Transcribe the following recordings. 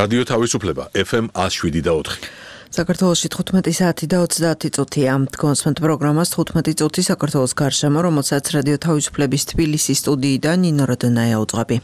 რადიო თავისუფლება FM 107.4. საქართველოში 15 საათი და 30 წუთია. კონსვენტ პროგრამას 15 წუთი საქართველოს გარშემო, რომელსაც რადიო თავისუფლების თბილისის სტუდიიდან ნინო როდონაია უძღვები.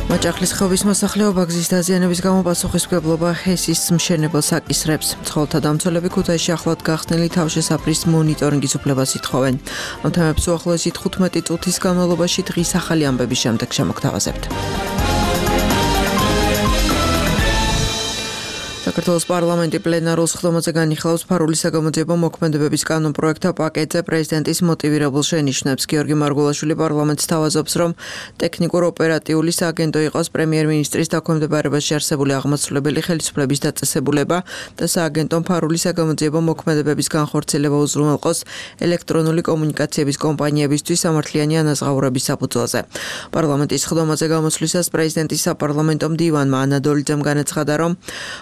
მაჭახლის ხეობის მოსახლეობა გზის დაზიანების გამო პასუხისმგებლობა ჰესის მშენებელს აკისრებს. მცხოვრებთა დამცველები ქუთაისში ახლად გახსნილი თავშესაფრის მონიტორინგის უფლებას ითხოვენ. ამ თემებს უახლოესი 15 წუთის განმავლობაში დღის ახალი ამბების შემდეგ შემოგთავაზებთ. საქართველოს პარლამენტი პლენარულ სხდომაზე განიხილავს ფარული საგამოძიებო მოქმედებების კანონპროექტთა პაკეტზე პრეზიდენტის მოტივირებულ შენიშვნებს. გიორგი მარგულაშვილი პარლამენტს თავაზობს, რომ ტექნიკურ-ოპერატიული სააგენტო იყოს პრემიერ-მინისტრის დაქვემდებარებაში არსებული აღმასრულებელი ხელისუფლების დაწესებულება და სააგენტომ ფარული საგამოძიებო მოქმედებების განხორციელება უზრუნველყოს ელექტრონული კომუნიკაციების კომპანიებისთვის სამართლიანი ანაზღაურების საფუძველზე. პარლამენტის სხდომაზე გამოსვლისას პრეზიდენტის საპარლამენტო მდივანმა ანა დოლიძემ განაცხადა, რომ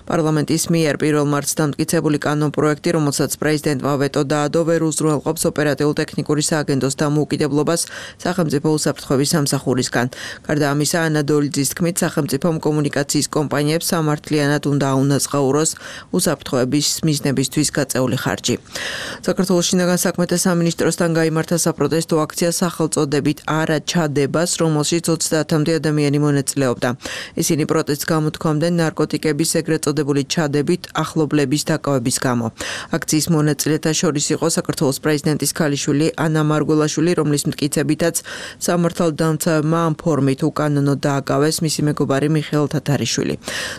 პარლამენტის მიერ 1 მარტს დამტკიცებული კანონპროექტი, რომელსაც პრეზიდენტმა ვეტო დაადო, ვერ უზრუნველყოფს ოპერატიულ-ტექნიკური სააგენტოს დამოუკიდებლობას სახელმწიფო უსაფრთხოების სამსახურისგან. გარდა ამისა, ანა დოლიძის თქმით, სახელმწიფომ კომუნიკაციის კომპანიებს სამართლიანად უნდა აუნაზღაუროს უსაფრთხოების მიზნებისთვის გაწეული ხარჯი. საქართველოს შინაგან საქმეთა სამინისტროსთან გაიმართა საპროტესტო აქცია სახელწოდებით არა ჩადებას, რომელშიც 30-მდე ადამიანი მონაწილეობდა. ისინი პროტესტს გამოთქვამდნენ ნარკოტიკების ეგრეთ წოდებული ჩადებით ახლობლების დაკავების გამო. აქციის მონაწილეთა შორის იყო საქართველოს პრეზიდენტის ქალიშვილი ანა მარგულაშვილი, რომლის მტკიცებითაც სამართალდამცავებმა ამ ფორმით უკანონოდ დააკავეს მისი მეგობარი მიხეილ თათარიშვილი.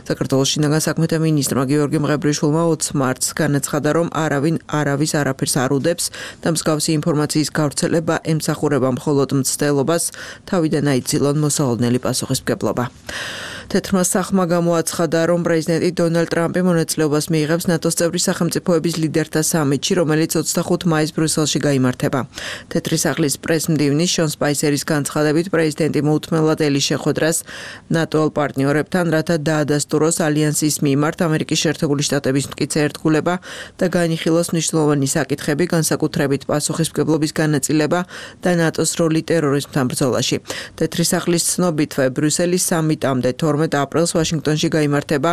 საქართველოს შინაგან საქმეთა მინისტრმა გიორგი მღებრიშვილმა 20 მარტს განაცხადა, რომ არავინ არავის არაფერს არ უდებს და მსგავსი ინფორმაციის გავრცელება ემსახურება მხოლოდ მცდელობას, თავიდან აიცილონ მოსალოდნელი პასუხისმგებლობა. თეთრმა სახმა გამოაცხადა, რომ პრეზიდენტი დონალდ ტრამპი მონაწილეობას მიიღებს ნატოს წევრი სახელმწიფოების ლიდერთა სამიტში, რომელიც 25 მაისს ბრიუსელში გაიმართება. თეთრი სახლის პრესმდივნის შონ სპაისერის განცხადებით, პრეზიდენტი მოუთმენლად ელის შეხვედრას ნატოელ პარტნიორებთან, რათა დაადასტუროს ალიანსის მიმართ ამერიკის შეერთებული შტატების მტკიცე ერთგულება და განიხილოს მნიშვნელოვანი საკითხები, განსაკუთრებით პასუხისმგებლობის განაწილება და ნატოს როლი ტერორიზმთან ბრძოლაში. თეთრი სახლის ცნობითვე ბრიუსელის სამიტამდე 12 აპრილს ვაშინგტონში გაიმართება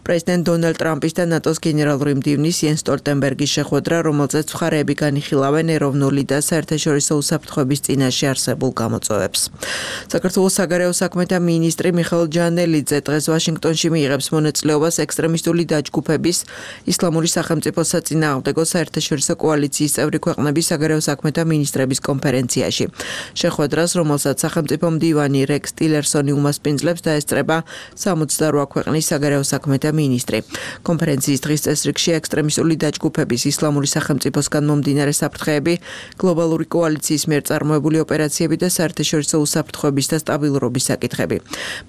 პრეზიდენტ დონალდ ტრამპის და ნატოს გენერალური მდივნის იენს სტოლტენბერგის შეხვედრა, რომელზეც მხარეები განიხილავენ ეროვნული და საერთაშორისო უსაფრთხოების წინაშე არსებულ გამოწვევებს. საქართველოს საგარეო საქმეთა მინისტრი მიხეილ ჯანელიძე დღეს ვაშინგტონში მიიღებს მონაწილეობას ექსტრემისტული დაჯგუფების ისლამური სახელმწიფოს საწინააღმდეგო საერთაშორისო კოალიციის წევრი ქვეყნების საგარეო საქმეთა მინისტრების კონფერენციაში. შეხვედრას, რომელსაც სახელმწიფო მდივანი რექს ტილერსონი უმასპინძლებს, დაესწრება 68 ქვეყნის საგარეო საქმეთა მინისტრი. კონფერენციის დღის წესრიგში ექსტრემისტული დაჯგუფების ისლამური სახელმწიფოსგან მომდინარე საფრთხეები, გლობალური კოალიციის მიერ წარმოებული ოპერაციები და საერთაშორისო უსაფრთხოების და სტაბილურობის საკითხები.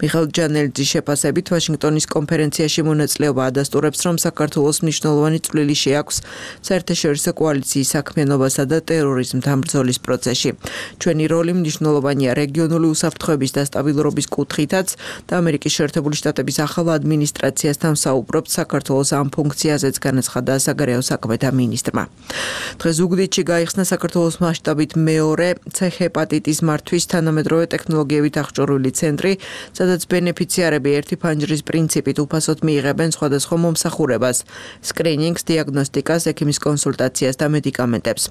მიხეილ ჯანელიძის შეფასებით, ვაშინგტონის კონფერენციაში მონაწილეობა ადასტურებს, რომ საქართველოს მნიშვნელოვანი წვლილი შეაქვს საერთაშორისო კოალიციის საქმიანობასა და ტერორიზმთან ბრძოლის პროცესში. ჩვენი როლი მნიშვნელოვანია რეგიონული უსაფრთხოების და სტაბილურობის კუთხითაც და ამერიკის შეერთებული შტატების ახალ ადმინისტრაციასთან საუბრობთ საქართველოს ამ ფუნქციაზეც განაცხადა საგარეო საქმეთა მინისტრმა. დღეს ზუგდიდში გაიხსნა საქართველოს მასშტაბით მეორე C-ჰეპატიტის მართვის თანამედროვე ტექნოლოგიებით აღჭურვილი ცენტრი, სადაც ბენეფიციარები ერთი ფანჯრის პრინციპით უფასოდ მიიღებენ სხვადასხვა მომსახურებას, სკრინინგს, დიაგნოსტიკას, ექიმის კონსულტაციას და მედიკამენტებს.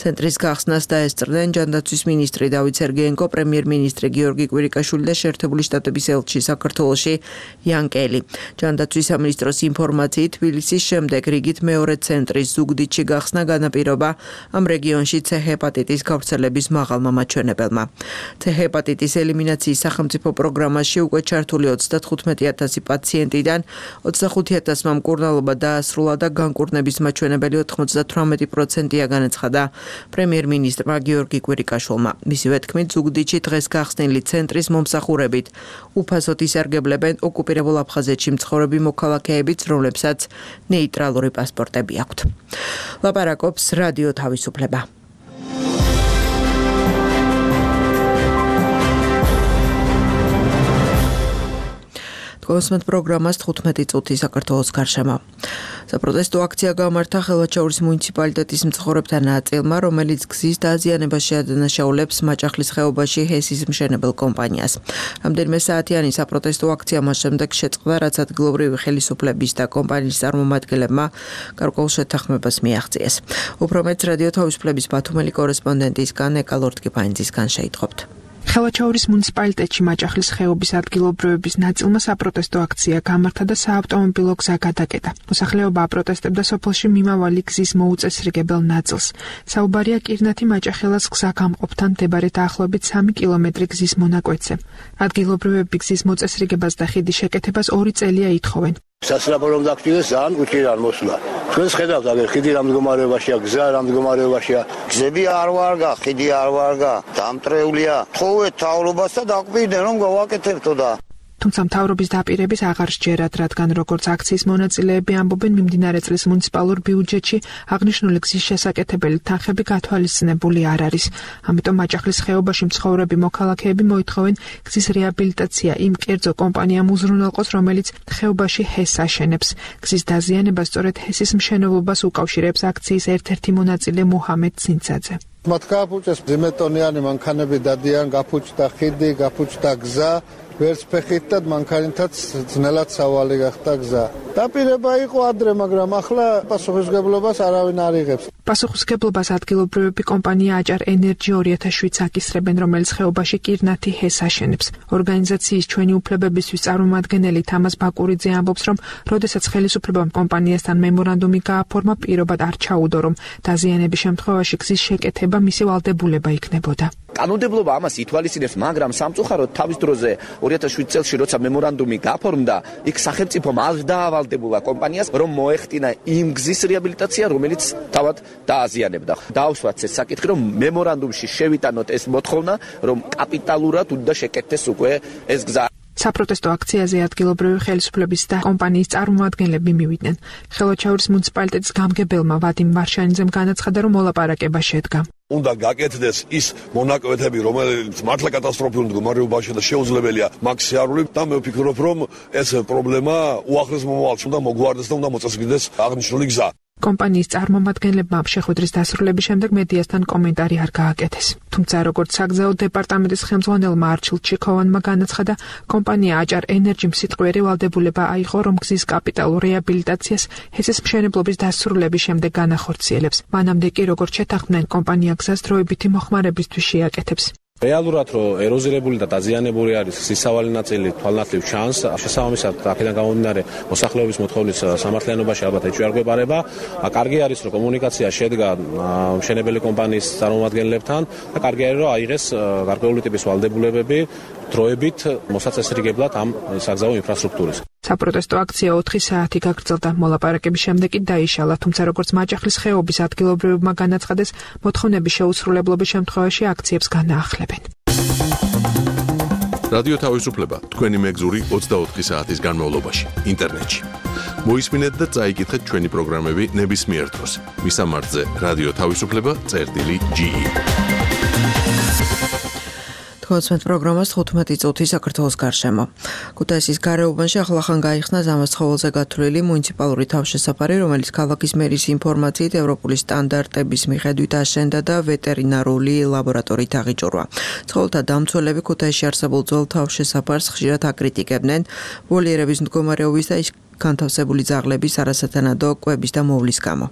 ცენტრის გახსნას დაესწრნენ ჯანდაცვის მინისტრი დავით სერგეენკო, პრემიერ-მინისტრი გიორგი კვირიკაშვილი და შეერთებული შტატების ელჩი საქართველოში იან კელი. ჯანდაცვის სამინისტროს ინფორმაციით, თბილისის შემდეგ რიგით მეორე ცენტრის ზუგდიდში გახსნა განაპირობა ამ რეგიონში C-ჰეპატიტის გავრცელების მაღალმა მაჩვენებელმა. C-ჰეპატიტის ელიმინაციის სახელმწიფო პროგრამაში უკვე ჩართული 35,000 პაციენტიდან 25,000-მა მკურნალობა დაასრულა და განკურნების მაჩვენებელი 98%-ია, განაცხადა პრემიერ-მინისტრმა გიორგი კვირიკაშვილმა. მისივე თქმით, ზუგდიდში დღეს გახსნილი ცენტრის მომსახურებით უფასოდ ისარგებლებენ ოკუპირებულ აფხაზეთში მცხოვრები მოქალაქეებიც, რომლებსაც ნეიტრალური პასპორტები აქვთ. ლაპარაკობს რადიო თავისუფლება. თქვენს პროგრამას 15 წუთი საქართველოს გარშემო. საპროტესტო აქცია გამართა ხელვაჩაურის მუნიციპალიტეტის მცხოვრებთა ნაწილმა, რომელიც გზის დაზიანებას შეადანაშაულებს მაჭახლის ხეობაში ჰესის მშენებელ კომპანიას. რამდენიმე საათიანი საპროტესტო აქცია მას შემდეგ შეწყდა, რაც ადგილობრივი ხელისუფლების და კომპანიის წარმომადგენლებმა გარკვეულ შეთანხმებას მიაღწიეს. უფრო მეტს რადიო თავისუფლების ბათუმელი კორესპონდენტისგან ეკა ლორდკიფანიძისგან შეიტყობთ. ხელვაჩაურის მუნიციპალიტეტში მაჭახლის ხეობის ადგილობრივების ნაწილმა საპროტესტო აქცია გამართა და საავტომობილო გზა გადაკეტა. მოსახლეობა აპროტესტებდა სოფელში მიმავალი გზის მოუწესრიგებელ ნაწილს. საუბარია კირნათი-მაჭახელას გზა გამყოფთან მდებარე დაახლოებით 3 კილომეტრი გზის მონაკვეთზე. ადგილობრივები გზის მოწესრიგებას და ხიდის შეკეთებას 2 წელია ითხოვენ. სასწრაფო რომ დაგჭირდეს ძალიან უჭირან მოსვლა. ჩვენს ხედავთ აგერ ხიდი რამ მდგომარეობაშია, გზა რამ მდგომარეობაშია. გზები არ ვარგა, ხიდი არ ვარგა, დამტრეულია. თხოვეთ მთავრობას და დაგვიდნენ რომ გავაკეთებთო და თუმცა მთავრობის დაპირების აღარ სჯერათ, რადგან როგორც აქციის მონაწილეები ამბობენ, მიმდინარე წლის მუნიციპალურ ბიუჯეტში აღნიშნული გზის შესაკეთებელი თანხები გათვალისწინებული არ არის. ამიტომ მაჭახლის ხეობაში მცხოვრები მოქალაქეები მოითხოვენ გზის რეაბილიტაცია იმ კერძო კომპანიამ უზრუნველყოს, რომელიც ხეობაში ჰეს აშენებს. გზის დაზიანება სწორედ ჰესის მშენებლობას უკავშირებს აქციის ერთ-ერთი მონაწილე მუჰამედ ცინცაძე. მათ გააფუჭეს ზემეტონიანი მანქანები დადიან, გაფუჭდა ხიდი, გაფუჭდა გზა. ვერც ფეხით და მანქანითაც ძნელად სავალი გახდა გზა. დაპირება იყო ადრე, მაგრამ ახლა პასუხისმგებლობას არავინ არ იღებს. პასუხისმგებლობას ადგილობრივი კომპანია აჭარ ენერჯი 2007-ს აკისრებენ, რომელიც ხეობაში კირნათი ჰეს აშენებს. ორგანიზაციის ჩვენი უფლებებისთვის წარმომადგენელი თამას ბაკურიძე ამბობს, რომ როდესაც ხელისუფლებამ კომპანიასთან მემორანდუმი გააფორმა, პირობად არ ჩაუდო, რომ დაზიანების შემთხვევაში გზის შეკეთება მისი ვალდებულება იქნებოდა. კანონმდებლობა ამას ითვალისწინებს, მაგრამ სამწუხაროდ თავის დროზე 2007 წელს როცა მემორანდუმი გაფორმდა, იქ სახელმწიფომ არ დაავალდებულა კომპანიას, რომ მოეხტინა იმ გზის რეაბილიტაცია, რომელიც თავად დააზიანებდა. დაუსვათ ეს საკითხი, რომ მემორანდუმში შევიტანოთ ეს მოთხოვნა, რომ კაპიტალურად უნდა შეკეთდეს უკვე ეს გზა. საპროტესტო აქციაზე ადგილობრივი ხელისუფლების და კომპანიის წარმომადგენლები მივიდნენ. ხელვაჩაურის მუნიციპალიტეტის გამგებელმა ვადიმ მარშანიძემ განაცხადა, რომ მოლაპარაკება შედგა. უნდა გაკეთდეს ის მონაკვეთები, რომელიც მართლა კატასტროფულ მდგომარეობაშია და შეუძლებელია მაგ შეარული და მე ვფიქრობ, რომ ეს პრობლემა უახლეს მომავალში უნდა მოგვარდეს და უნდა მოწესრიგდეს აღნიშნული გზა. კომპანიის წარმომადგენლებმა შეხვედრის დასრულების შემდეგ მედიასთან კომენტარი არ გააკეთეს. თუმცა როგორც საგზაო დეპარტამენტის ხელმძღვანელმა არჩილ ჩიქოვანმა განაცხადა, კომპანია აჭარ ენერჯიმ სიტყვიერი ვალდებულება აიღო, რომ გზის კაპიტალურ რეაბილიტაციას ჰესის მშენებლობის დასრულების შემდეგ განახორციელებს. მანამდე კი როგორც შეთანხმდნენ, კომპანია გზას დროებითი მოხმარებისთვის შეაკეთებს. რეალურად რომ ეროზირებული და დაზიანებული არის სისავალი ნაწილი თვალნათლივ ჩანს, შესაბამისად აქედან გამომდინარე მოსახლეობის მოთხოვნის სამართლიანობაში ალბათ ეჭვი არ გვეპარება. კარგი არის რომ კომუნიკაცია შედგა მშენებელი კომპანიის წარმომადგენლებთან და კარგი არის რომ აიღეს გარკვეული ტიპის ვალდებულებები დროებით მოსაწესრიგებლად ამ საგზაო ინფრასტრუქტურის. საპროტესტო აქცია 4 საათი გაგრძელდა. მოლაპარაკების შემდეგ კი დაიშალა, თუმცა როგორც მაჭახლის ხეობის ადგილობრივებმა განაცხადეს, მოთხოვნების შეუსრულებლობის შემთხვევაში აქციებს განაახლებენ. რადიო თავისუფლება თქვენი მეგზური 24 საათის განმავლობაში ინტერნეტში. მოისმინეთ და წაიკითხეთ ჩვენი პროგრამები ნებისმიერ დროს. მისამართზე რადიო თავისუფლება.ge. თქვენს პროგრამას 15 წუთი საქართველოს გარშემო. ქუთაისის გარეუბანში ახლახან გაიხსნა ზამას ცხოველზე გათვლილი მუნიციპალური თავშესაფარი, რომელიც ქალაქის მერის ინფორმაციით ევროპული სტანდარტების მიხედვით აშენდა და ვეტერინარული ლაბორატორიით აღიჭურვა. ცხოველთა დამცველები ქუთაისში არსებულ ძველ თავშესაფარს ხშირად აკრიტიკებდნენ ვოლიერების მდგომარეობის და განთავსებული ძაღლების არასათანადო კვების და მოვლის გამო.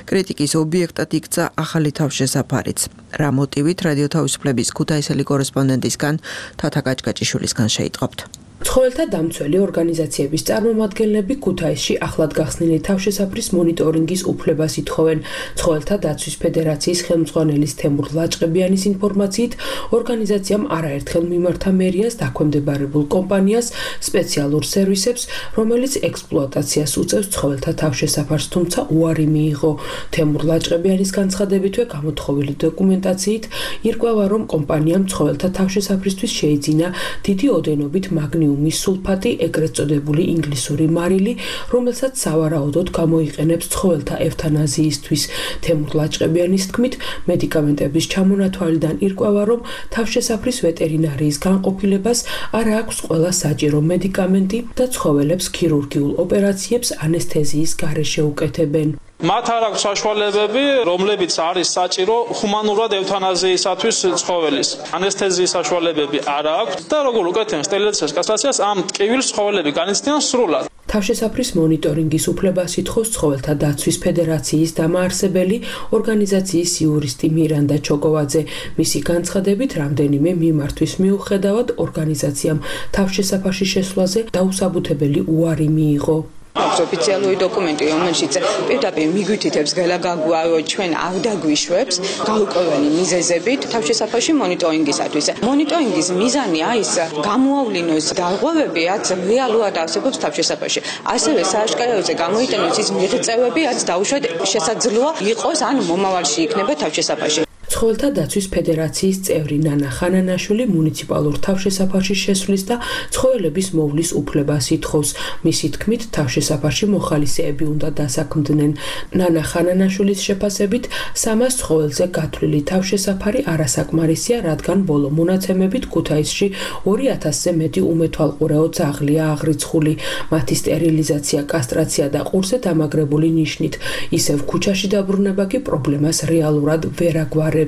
კრიტიკის ობიექტად იქცა ახალი თავშესაფარიც. რა მოტივით რადიო თავისუფლების ქუთაისელი კორესპონდენტისგან თათა კაჭკაჭიშვილისგან შეიტყობთ. ცხოველთა დამცველი ორგანიზაციების წარმომადგენლები ქუთაისში ახლად გახსნილი თავშესაფრის მონიტორინგის უფლებას ითხოვენ. ცხოველთა დაცვის ფედერაციის ხელმძღვანელის თემურ ლაჭყებიანის ინფორმაციით, ორგანიზაციამ არაერთხელ მიმართა მერიას დაქვემდებარებულ კომპანიას სპეციალურ სერვისებს, რომელიც ექსპლუატაციას უწევს ცხოველთა თავშესაფარს, თუმცა უარი მიიღო. თემურ ლაჭყებიანის განცხადებითვე გამოთხოვილი დოკუმენტაციით ირკვევა, რომ კომპანიამ ცხოველთა თავშესაფრისთვის შეიძინა დიდი ოდენობით მაგნიუმ ამონიუმის სულფატი, ეგრეთ წოდებული ინგლისური მარილი, რომელსაც სავარაუდოდ გამოიყენებს ცხოველთა ევთანაზიისთვის. თემურ ლაჭყებიანის თქმით, მედიკამენტების ჩამონათვალიდან ირკვევა, რომ თავშესაფრის ვეტერინარიის განყოფილებას არ აქვს ყველა საჭირო მედიკამენტი და ცხოველებს ქირურგიულ ოპერაციებს ანესთეზიის გარეშე უკეთებენ. მათ არ აქვს საშუალებები, რომლებიც არის საჭირო ჰუმანურად ევთანაზიისათვის ცხოველის. ანესთეზიის საშუალებები არ აქვს და როგორ უკეთებენ სტერილიზაციას, კასტრაციას, ამ ტკივილს ცხოველები განიცდიან სრულად. თავშესაფრის მონიტორინგის უფლებას ითხოვს ცხოველთა დაცვის ფედერაციის დამაარსებელი ორგანიზაციის იურისტი მირანდა ჩოკოვაძე. მისი განცხადებით, რამდენიმე მიმართვის მიუხედავად ორგანიზაციამ თავშესაფარში შესვლაზე დაუსაბუთებელი უარი მიიღო. აქვს ოფიციალური დოკუმენტი, რომელშიც პირდაპირ მიგვითითებს გელაგაგუა, რომ ჩვენ არ დაგვიშვებს გაურკვეველი მიზეზებით თავშესაფარში მონიტორინგისათვის. მონიტორინგის მიზანია ის გამოავლინოს დარღვევები, რაც რეალურად არსებობს თავშესაფარში. ასევე სააშკაროზე გამოიტანოს ის მიღწევები, რაც დაუშვათ შესაძლოა იყოს ან მომავალში იქნება თავშესაფარში. ცხოველთა დაცვის ფედერაციის წევრი ნანა ხანანაშვილი მუნიციპალურ თავშესაფარში შესვლის და ცხოველების მოვლის უფლებას ითხოვს. მისი თქმით, თავშესაფარში მოხალისეები უნდა დასაქმდნენ. ნანა ხანანაშვილის შეფასებით, 300 ცხოველზე გათვლილი თავშესაფარი არასაკმარისია, რადგან ბოლო მონაცემებით ქუთაისში 2000-ზე მეტი უმეთვალყურეო ძაღლია აღრიცხული. მათი სტერილიზაცია, კასტრაცია და ყურზე დამაგრებული ნიშნით. ისევ ქუჩაში დაბრუნება კი პრობლემას რეალურად ვერ აგვარებს.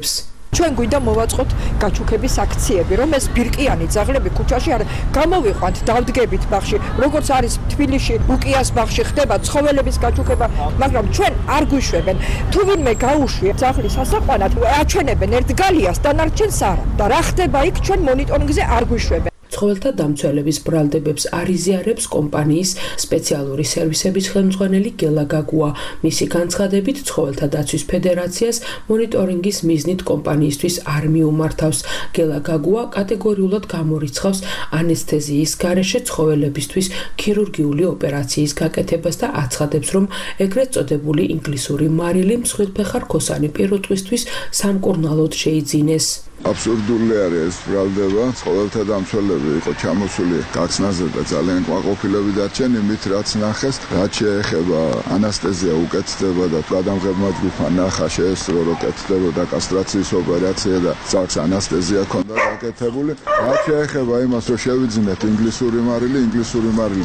ჩვენ გვინდა მოვაწყოთ გაჩუქების აქციები, რომ ეს ბირკიანი ძაღლები ქუჩაში არ გამოვიყვანთ, დავდგებით ბაღში, როგორც არის თბილისში, უკიას ბაღში ხდება ცხოველების გაჩუქება, მაგრამ ჩვენ არ გვიშვებენ. თუ ვინმე გაუშვია ძაღლის ასაყვანად, აჩვენებენ ერთ გალიას, დანარჩენს არა. და რა ხდება იქ, ჩვენ მონიტორინგზე არ გვიშვებენ. ცხოველთა დამცველების ბრალდებებს არიზიარებს კომპანიის სპეციალური სერვისების ხელმძღვანელი გელა გაგუა. მისი განცხადებით, ცხოველთა დაცვის ფედერაციას მონიტორინგის მიზნით კომპანიისთვის არ მიუმართავს. გელა გაგუა კატეგორიულად გამორიცხავს ანესთეზიის გარეშე ცხოველებისთვის ქირურგიული ოპერაციის გაკეთებას და აცხადებს, რომ ეგრეთ წოდებული ინგლისური მარილი მსხვილფეხა რქოსანი პირუტყვისთვის სამკურნალოდ შეიძინეს. აბსურდული არის ეს ბრალდება, ცხოველთა დამცველები იყო ჩამოსული გახსნაზე და ძალიან კმაყოფილები დარჩენ იმით, რაც ნახეს, რაც შეეხება ანესთეზია უკეთდება და გადამღებმა ჯგუფმა ნახა შეესწრო, რომ კეთდებოდა კასტრაციის ოპერაცია და ძაღლს ანესთეზია ჰქონდა გაკეთებული. რაც შეეხება იმას, რომ შევიძინეთ ინგლისური მარილი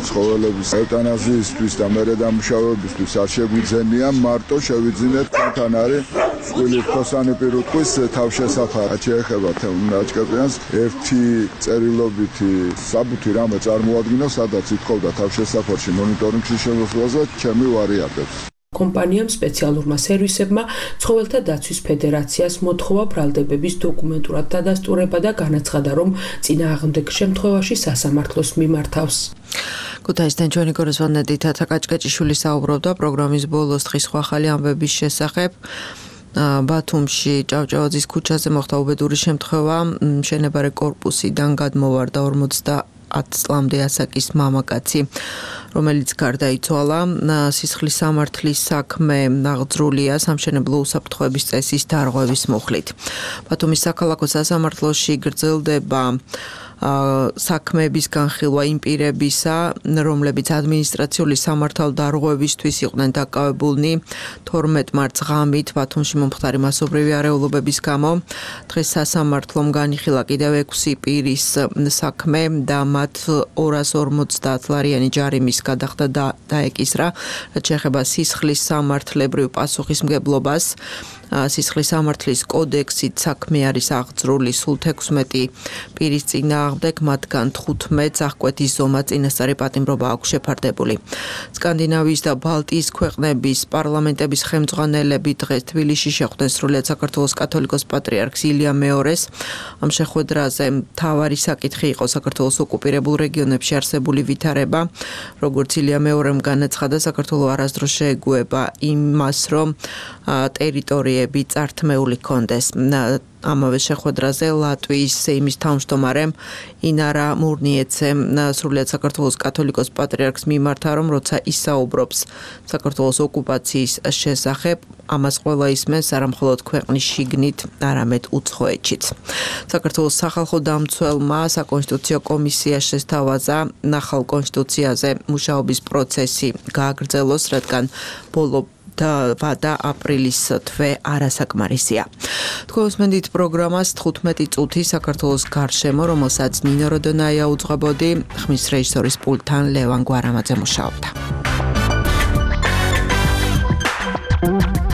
ცხოველების ევთანაზიისთვის და მერე დამუშავებისთვის არ შეგვიძენია, მარტო შევიძინეთ თან არის მსხვილი რქოსანი პირუტყვის თავშესაფარი. ეხება თემნაჭკებიანს ერთი წერილობითი საბუთი რამე წარმოადგინა, სადაც ითხოვდა თავშესაფარში მონიტორინგში შემოსვლაზე ჩემი ვარიანტებს. კომპანიამ სპეციალურმა სერვისებმა ცხოველთა დაცვის ფედერაციას მოთხოვა ბრალდებების დოკუმენტურად დადასტურება და განაცხადა, რომ წინააღმდეგ შემთხვევაში სასამართლოს მიმართავს. ქუთაისთან ჩვენი კორესპონდენტი თათა კაჭკაჭიშვილი საუბრობდა პროგრამის ბოლოს დღის ხვალ ამბების შესახებ. ბათუმში ჭავჭავაძის ქუჩაზე მოხდა უბედური შემთხვევა, მშენებარე კორპუსიდან გადმოვარდა 50 წლამდე ასაკის მამაკაცი, რომელიც გარდაიცვალა. სისხლის სამართლის საქმე აღძრულია სამშენებლო უსაფრთხოების წესის დარღვევის მუხლით. ბათუმის საქალაქო სასამართლოში გრძელდება საქმეების განხილვა იმ პირებისა, რომლებიც ადმინისტრაციული სამართალდარღვევისთვის იყვნენ დაკავებულნი 12 მარტს ღამით ბათუმში მომხდარი მასობრივი არეულობების გამო. დღეს სასამართლომ განიხილა კიდევ 6 პირის საქმე და მათ 250 ლარიანი ჯარიმის გადახდა და დაეკისრა, რაც შეეხება სისხლის სამართლებრივ პასუხისმგებლობას. სისხლის სამართლის კოდექსით საქმე არის აღძრული სულ 16 პირის წინააღმდეგ, მათგან 15-ს აღკვეთის ზომა წინასწარი პატიმრობა აქვს შეფარდებული. სკანდინავიის და ბალტიის ქვეყნების პარლამენტების ხელმძღვანელები დღეს თბილისში შეხვდნენ სრულიად საქართველოს კათოლიკოს პატრიარქს ილია მეორეს. ამ შეხვედრაზე მთავარი საკითხი იყო საქართველოს ოკუპირებულ რეგიონებში არსებული ვითარება. როგორც ილია მეორემ განაცხადა, საქართველო არასდროს შეეგუება იმას, რომ ტერიტორიები წართმეული კონდეს. ამავე შეხვედრაზე ლატვიის სეიმის თავმჯდომარემ ინარა მურნიეცემ სრულიად საქართველოს კათოლიკოს პატრიარქს მიმართა, რომ როცა ისაუბრობს საქართველოს ოკუპაციის შესახებ, ამას ყველა ისმენს არა მხოლოდ ქვეყნის შიგნით, არამედ უცხოეთშიც. საქართველოს სახალხო დამცველმა საკონსტიტუციო კომისია შესთავაზა ნახალ კონსტიტუციაზე მუშაობის პროცესი გააგრძელოს, რადგან ბოლო და აპრილის თვე არასაკმარისია. თქვენ უსმენთ პროგრამას 15 წუთი საქართველოს გარშემო, რომელსაც ნინო როდონაია უძღვებოდი, ხმის რეჟისორის პულტთან ლევან გვარამაძე მუშაობდა.